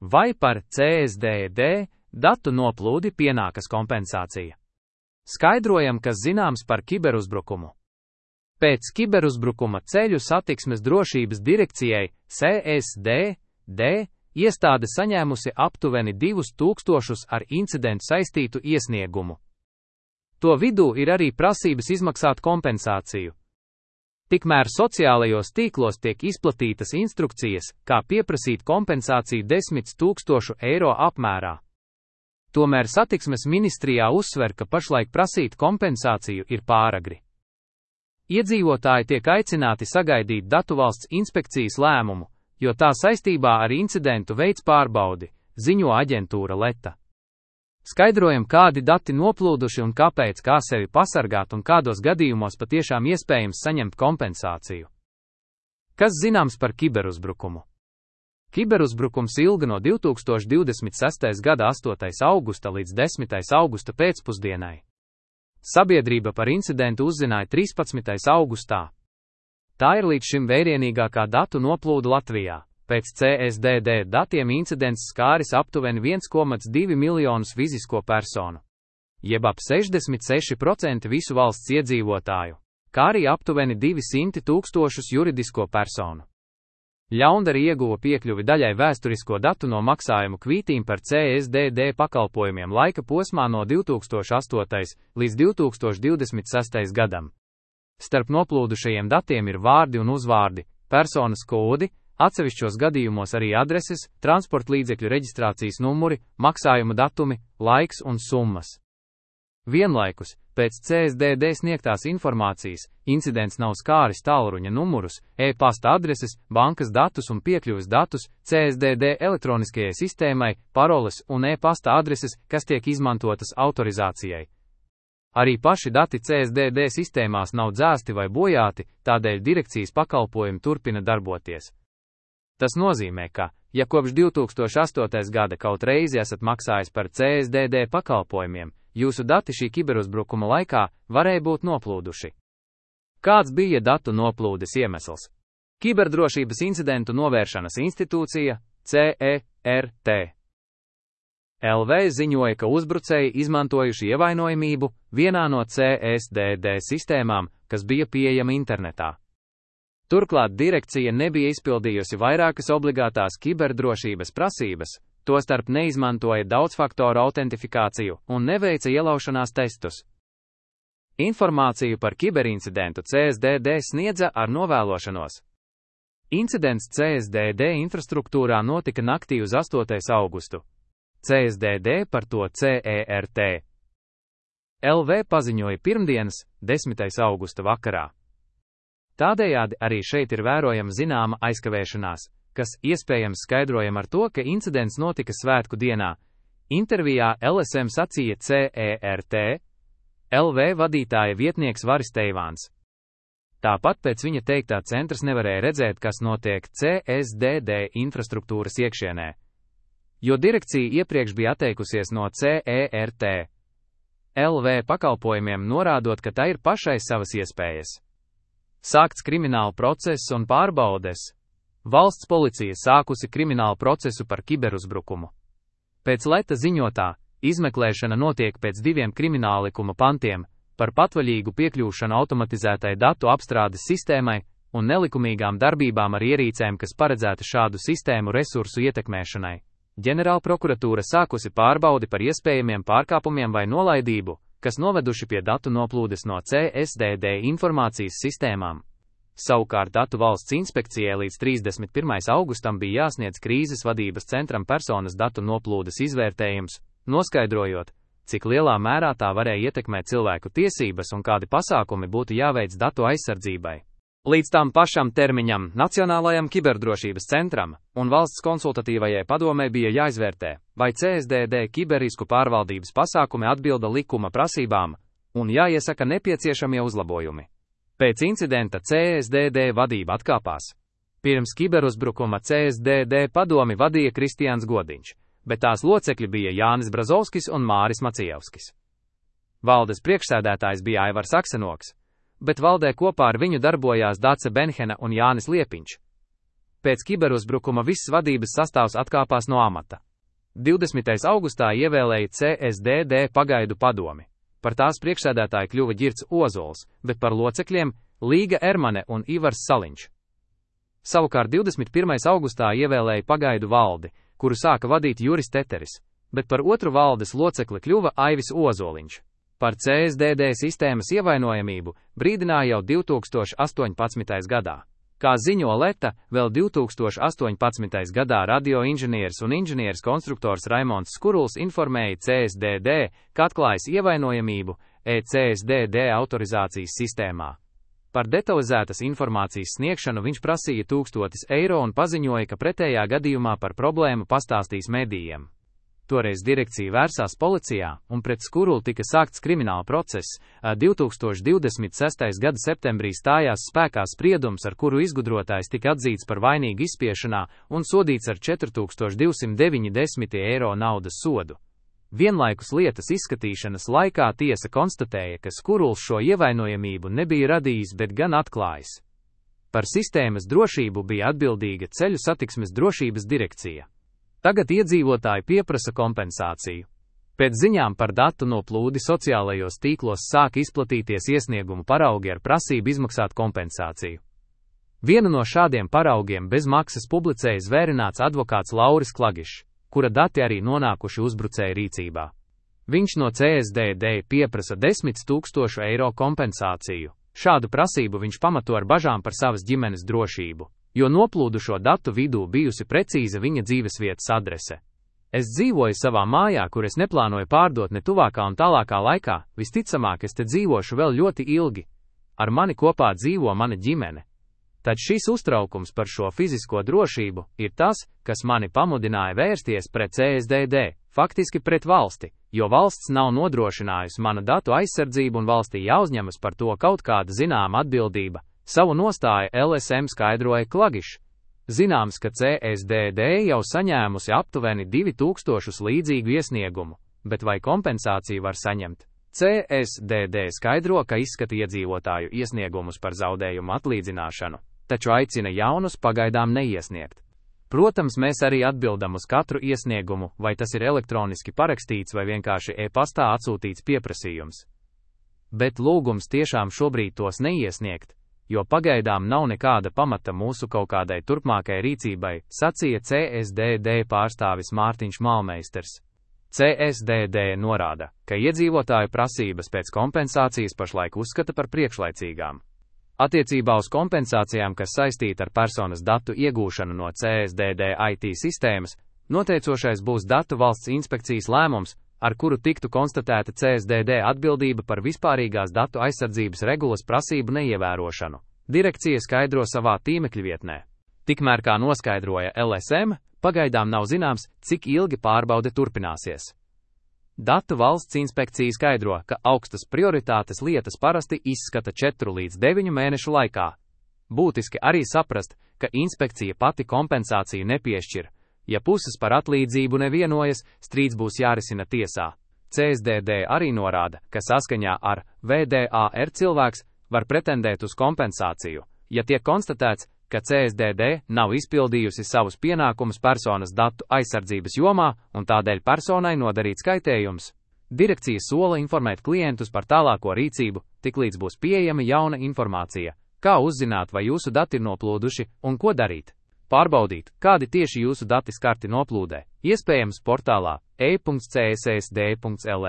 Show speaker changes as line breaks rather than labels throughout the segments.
Vai par CSDD datu noplūdi pienākas kompensācija? Skaidrojam, kas zināms par kiberuzbrukumu. Pēc kiberuzbrukuma Ceļu satiksmes drošības direkcijai CSDD iestāde saņēmusi aptuveni 2000 ar incidentu saistītu iesniegumu. To vidū ir arī prasības izmaksāt kompensāciju. Tikmēr sociālajos tīklos tiek izplatītas instrukcijas, kā pieprasīt kompensāciju 10 000 eiro apmērā. Tomēr satiksmes ministrijā uzsver, ka pašlaik prasīt kompensāciju ir pāragri. Iedzīvotāji tiek aicināti sagaidīt Datuvalsts inspekcijas lēmumu, jo tā saistībā ar incidentu veids pārbaudi, ziņo aģentūra Leta. Skaidrojam, kādi dati noplūduši un kāpēc, kā sevi pasargāt un kādos gadījumos patiešām iespējams saņemt kompensāciju. Kas zināms par kiberuzbrukumu? Kiberuzbrukums ilga no 2026. gada 8. augusta līdz 10. augusta pēcpusdienai. Sabiedrība par incidentu uzzināja 13. augustā. Tā ir līdz šim vērienīgākā datu noplūde Latvijā. Pēc CSDD datiem incidents skāris aptuveni 1,2 miljonus fizisko personu, jeb ap 66% visu valsts iedzīvotāju, kā arī aptuveni 200 000 juridisko personu. Ļaundari ieguva piekļuvi daļai vēsturisko datu no maksājumu kvītīm par CSDD pakalpojumiem laika posmā no 2008. līdz 2026. gadam. Starp noplūdušajiem datiem ir vārdi un uzvārdi, personas kodi, atsevišķos gadījumos arī adreses, transportlīdzekļu reģistrācijas numuri, maksājuma datumi, laiks un summas. Vienlaikus, pēc CSDD sniegtās informācijas, incidents nav skāris tālruņa numurus, e-pasta adreses, bankas datus un piekļuves datus, CSDD elektroniskajai sistēmai, paroles un e-pasta adreses, kas tiek izmantotas autorizācijai. Arī paši dati CSDD sistēmās nav dzēsti vai bojāti, tādēļ direkcijas pakalpojumi turpina darboties. Tas nozīmē, ka, ja kopš 2008. gada kaut reizi esat maksājis par CSDD pakalpojumiem, jūsu dati šī kiberuzbrukuma laikā varēja būt noplūduši. Kāds bija datu noplūdes iemesls? Kiberdrošības incidentu novēršanas institūcija, CERT. LV ziņoja, ka uzbrucēji izmantojuši ievainojamību vienā no CSDD sistēmām, kas bija pieejama internetā. Turklāt direkcija nebija izpildījusi vairākas obligātās kiberdrošības prasības, tostarp neizmantoja daudzfaktoru autentifikāciju un neveica ielaušanās testus. Informāciju par kiberincidentu CSDD sniedza ar novēlošanos. Incidents CSDD infrastruktūrā notika naktī uz 8. augustu. CSDD par to CERT. LV paziņoja pirmdienas, 10. augusta vakarā. Tādējādi arī šeit ir vērojama zināma aizkavēšanās, kas iespējams skaidrojama ar to, ka incidents notika svētku dienā. Intervijā LSM sacīja CERT, LV vadītāja vietnieks Varis Teivāns. Tāpat pēc viņa teiktā centrs nevarēja redzēt, kas notiek CSDD infrastruktūras iekšienē, jo direkcija iepriekš bija atteikusies no CERT LV pakalpojumiem, norādot, ka tā ir pašai savas iespējas. Sākts krimināla process un pārbaudes. Valsts policija sākusi kriminālu procesu par kiberuzbrukumu. Pēc Leta ziņotā, izmeklēšana notiek pēc 2 krimināllikuma pantiem par patvaļīgu piekļūšanu automatizētai datu apstrādes sistēmai un nelikumīgām darbībām ar ierīcēm, kas paredzēta šādu sistēmu resursu ietekmēšanai. Ģenerālprokuratūra sākusi pārbaudi par iespējamiem pārkāpumiem vai nolaidību, kas noveduši pie datu noplūdes no CSDD informācijas sistēmām. Savukārt Datu valsts inspekcijai līdz 31. augustam bija jāsniedz krīzes vadības centram personas datu noplūdes izvērtējums, noskaidrojot, cik lielā mērā tā varēja ietekmēt cilvēku tiesības un kādi pasākumi būtu jāveic datu aizsardzībai. Līdz tam pašam termiņam Nacionālajam kiberdrošības centram un valsts konsultatīvajai padomei bija jāizvērtē, vai CSDD kiberrisku pārvaldības pasākumi atbilda likuma prasībām un jāiesaka nepieciešamie uzlabojumi. Pēc incidenta CSDD vadība atkāpās. Pirms kiberuzbrukuma CSDD padomi vadīja Kristians Godiņš, bet tās locekļi bija Jānis Brazovskis un Māris Macievskis. Valdes priekšsēdētājs bija Aivars Aksenoks, bet valdē kopā ar viņu darbojās Dace Benhena un Jānis Liepiņš. Pēc kiberuzbrukuma viss vadības sastāvs atkāpās no amata. 20. augustā ievēlēja CSDD pagaidu padomi. Par tās priekšsēdētāju kļuva Ģirds Ozols, bet par locekļiem Līga Ermane un Ivars Saliņš. Savukārt 21. augustā ievēlēja pagaidu valdi, kuru sāka vadīt Juris Teteris, bet par otru valdes locekli kļuva Aivis Ozoliņš. Par CSDD sistēmas ievainojamību brīdināja jau 2018. gadā. Kā ziņo Leta, vēl 2018. gadā radioinženieris un inženieris konstruktors Raimonds Skuruls informēja CSDD, ka atklājis ievainojamību CSDD autorizācijas sistēmā. Par detalizētas informācijas sniegšanu viņš prasīja 1000 eiro un paziņoja, ka pretējā gadījumā par problēmu pastāstīs medijiem. Toreiz direkcija vērsās policijā, un pret Skurulu tika sākts krimināla process. 2026. gada septembrī stājās spēkā spriedums, ar kuru izgudrotājs tika atzīts par vainīgu izspiešanā un sodīts ar 4290 eiro naudas sodu. Vienlaikus lietas izskatīšanas laikā tiesa konstatēja, ka Skuruls šo ievainojamību nebija radījis, bet gan atklājis. Par sistēmas drošību bija atbildīga Ceļu satiksmes drošības direkcija. Tagad iedzīvotāji pieprasa kompensāciju. Pēc ziņām par datu noplūdi sociālajos tīklos sāk izplatīties iesniegumu paraugi ar prasību izmaksāt kompensāciju. Vienu no šādiem paraugiem bez maksas publicēja zvērināts advokāts Lauris Klagišs, kura dati arī nonākuši uzbrucēja rīcībā. Viņš no CSDD pieprasa 10 000 eiro kompensāciju. Šādu prasību viņš pamato ar bažām par savas ģimenes drošību, jo noplūdušo datu vidū bijusi precīza viņa dzīvesvietas adrese. Es dzīvoju savā mājā, kur es neplānoju pārdot ne tuvākā un tālākā laikā, visticamāk es te dzīvošu vēl ļoti ilgi. Ar mani kopā dzīvo mana ģimene. Tad šis uztraukums par šo fizisko drošību ir tas, kas mani pamudināja vērsties pret CSDD, faktiski pret valsti, jo valsts nav nodrošinājusi mana datu aizsardzību un valstī jāuzņemas par to kaut kāda zināma atbildība. Savu nostāju LSM skaidroja Klagišs. Zināms, ka CSDD jau saņēmusi aptuveni 2000 līdzīgu iesniegumu, bet vai kompensāciju var saņemt? CSDD skaidro, ka izskata iedzīvotāju iesniegumus par zaudējumu atlīdzināšanu, taču aicina jaunus pagaidām neiesniegt. Protams, mēs arī atbildam uz katru iesniegumu, vai tas ir elektroniski parakstīts vai vienkārši e-pastā atsūtīts pieprasījums. Bet lūgums tiešām šobrīd tos neiesniegt, jo pagaidām nav nekāda pamata mūsu kaut kādai turpmākai rīcībai, sacīja CSDD pārstāvis Mārtiņš Malmeisters. CSDD norāda, ka iedzīvotāju prasības pēc kompensācijas pašlaik uzskata par priekšlaicīgām. Attiecībā uz kompensācijām, kas saistīta ar personas datu iegūšanu no CSDD IT sistēmas, noteicošais būs Datu valsts inspekcijas lēmums, ar kuru tiktu konstatēta CSDD atbildība par vispārīgās datu aizsardzības regulas prasību neievērošanu. Direkcija skaidro savā tīmekļa vietnē. Tikmēr, kā noskaidroja LSM, pagaidām nav zināms, cik ilgi pārbaude turpināsies. Datu valsts inspekcija skaidro, ka augstas prioritātes lietas parasti izskata 4 līdz 9 mēnešu laikā. Būtiski arī saprast, ka inspekcija pati kompensāciju nepiešķir. Ja puses par atlīdzību nevienojas, strīds būs jārisina tiesā. CSDD arī norāda, ka saskaņā ar VDAR cilvēks var pretendēt uz kompensāciju, ja tiek konstatēts, ka CSDD nav izpildījusi savus pienākumus personas datu aizsardzības jomā un tādēļ personai nodarīts kaitējums. Direkcija sola informēt klientus par tālāko rīcību, tiklīdz būs pieejama jauna informācija, kā uzzināt, vai jūsu dati ir noplūduši un ko darīt. Pārbaudīt, kādi tieši jūsu dati skarti noplūdē, iespējams portālā e.cssd.lv.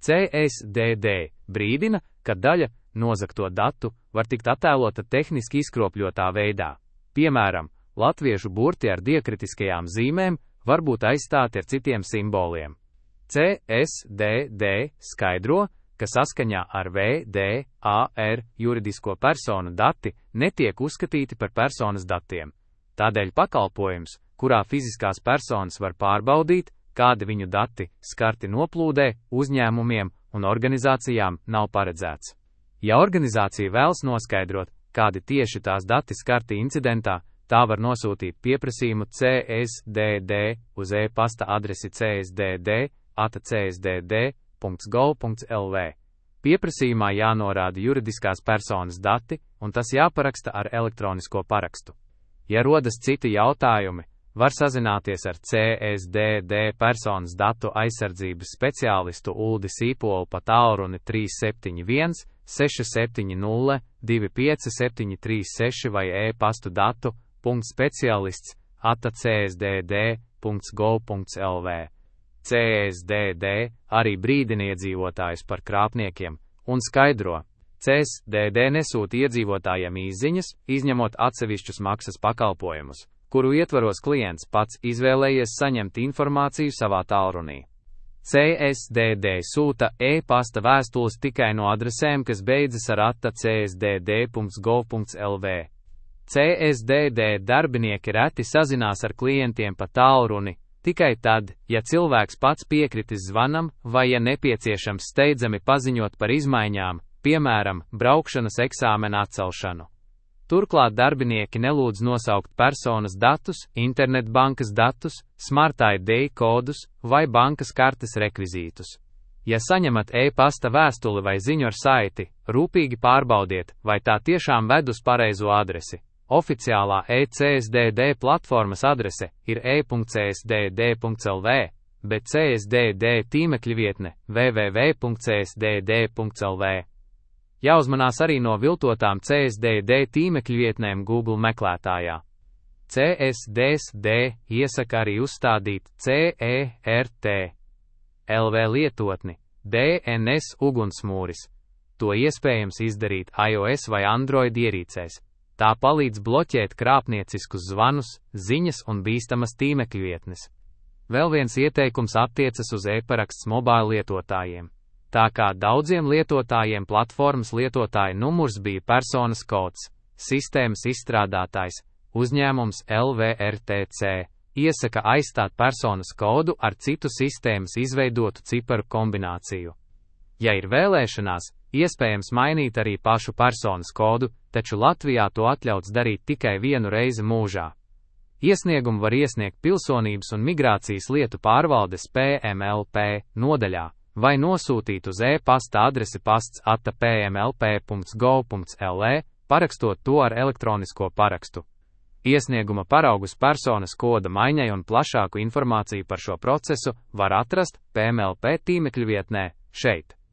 CSDD brīdina, ka daļa nozagto datu var tikt attēlota tehniski izkropļotā veidā. Piemēram, latviešu burti ar diekritiskajām zīmēm var būt aizstāti ar citiem simboliem. CSDD skaidro, ka saskaņā ar VDAR juridisko personu dati netiek uzskatīti par personas datiem. Tādēļ pakalpojums, kurā fiziskās personas var pārbaudīt, kādi viņu dati skarti noplūdē, uzņēmumiem un organizācijām nav paredzēts. Ja organizācija vēlas noskaidrot, kādi tieši tās dati skarti incidentā, tā var nosūtīt pieprasījumu CSDD uz e-pasta adresi csdd@csdd.gov.lv. Pieprasījumā jānorāda juridiskās personas dati, un tas jāparaksta ar elektronisko parakstu. Ja rodas citi jautājumi, var sazināties ar CSDD personas datu aizsardzības speciālistu Uldi Sīpolu pa tālruni 371 670 25736 vai e-pastu datu.specialists@csdd.gov.lv. CSDD arī brīdina iedzīvotājus par krāpniekiem un skaidro, CSDD nesūta iedzīvotājiem īsziņas, izņemot atsevišķus maksas pakalpojumus, kuru ietvaros klients pats izvēlējies saņemt informāciju savā tālrunī. CSDD sūta e-pasta vēstules tikai no adresēm, kas beidzas ar @csdd.gov.lv. CSDD darbinieki reti sazinās ar klientiem pa tālruni, tikai tad, ja cilvēks pats piekritis zvanam vai ja nepieciešams steidzami paziņot par izmaiņām, piemēram, braukšanas eksāmena atcelšanu. Turklāt darbinieki nelūdz nosaukt personas datus, internetbankas datus, Smart ID kodus vai bankas kartes rekvizītus. Ja saņemat e-pasta vēstuli vai ziņu ar saiti, rūpīgi pārbaudiet, vai tā tiešām ved uz pareizo adresi. Oficiālā e-CSDD platformas adrese ir e.csdd.lv, bet CSDD tīmekļa vietne www.csdd.lv. Jāuzmanās arī no viltotām CSDD tīmekļa vietnēm Google meklētājā. CSDD iesaka arī uzstādīt CERT LV lietotni DNS ugunsmūris. To iespējams izdarīt iOS vai Android ierīcēs. Tā palīdz bloķēt krāpnieciskus zvanus, ziņas un bīstamas tīmekļa vietnes. Vēl viens ieteikums attiecas uz e-paraksts mobile lietotājiem. Tā kā daudziem lietotājiem platformas lietotāja numurs bija personas kods, sistēmas izstrādātājs, uzņēmums LVRTC, iesaka aizstāt personas kodu ar citu sistēmas izveidotu ciparu kombināciju. Ja ir vēlēšanās, iespējams mainīt arī pašu personas kodu, taču Latvijā to atļauts darīt tikai vienu reizi mūžā. Iesniegumu var iesniegt Pilsonības un migrācijas lietu pārvaldes PMLP nodaļā, vai nosūtīt uz e-pasta adresi pasts@pmlp.gov.lv, parakstot to ar elektronisko parakstu. Iesnieguma paraugus personas koda maiņai un plašāku informāciju par šo procesu var atrast PMLP tīmekļa vietnē šeit.